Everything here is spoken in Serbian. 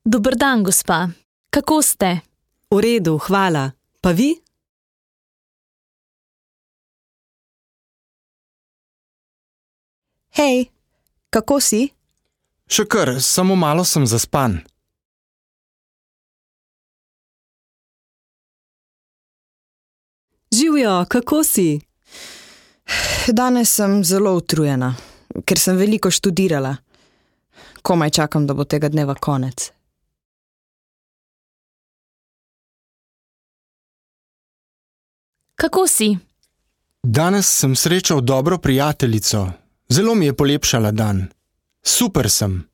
Dober dan, gospa. Kako ste? V redu, hvala. Pa vi? Hej, kako si? Še kar, samo malo sem zaspan. Živjo, kako si? Danes sem zelo utrujena, ker sem veliko študirala. Komaj čakam, da bo tega dneva konec. Kako si? Danes sem srečal dobro prijateljico. Zelo mi je polepšala dan. Super sem.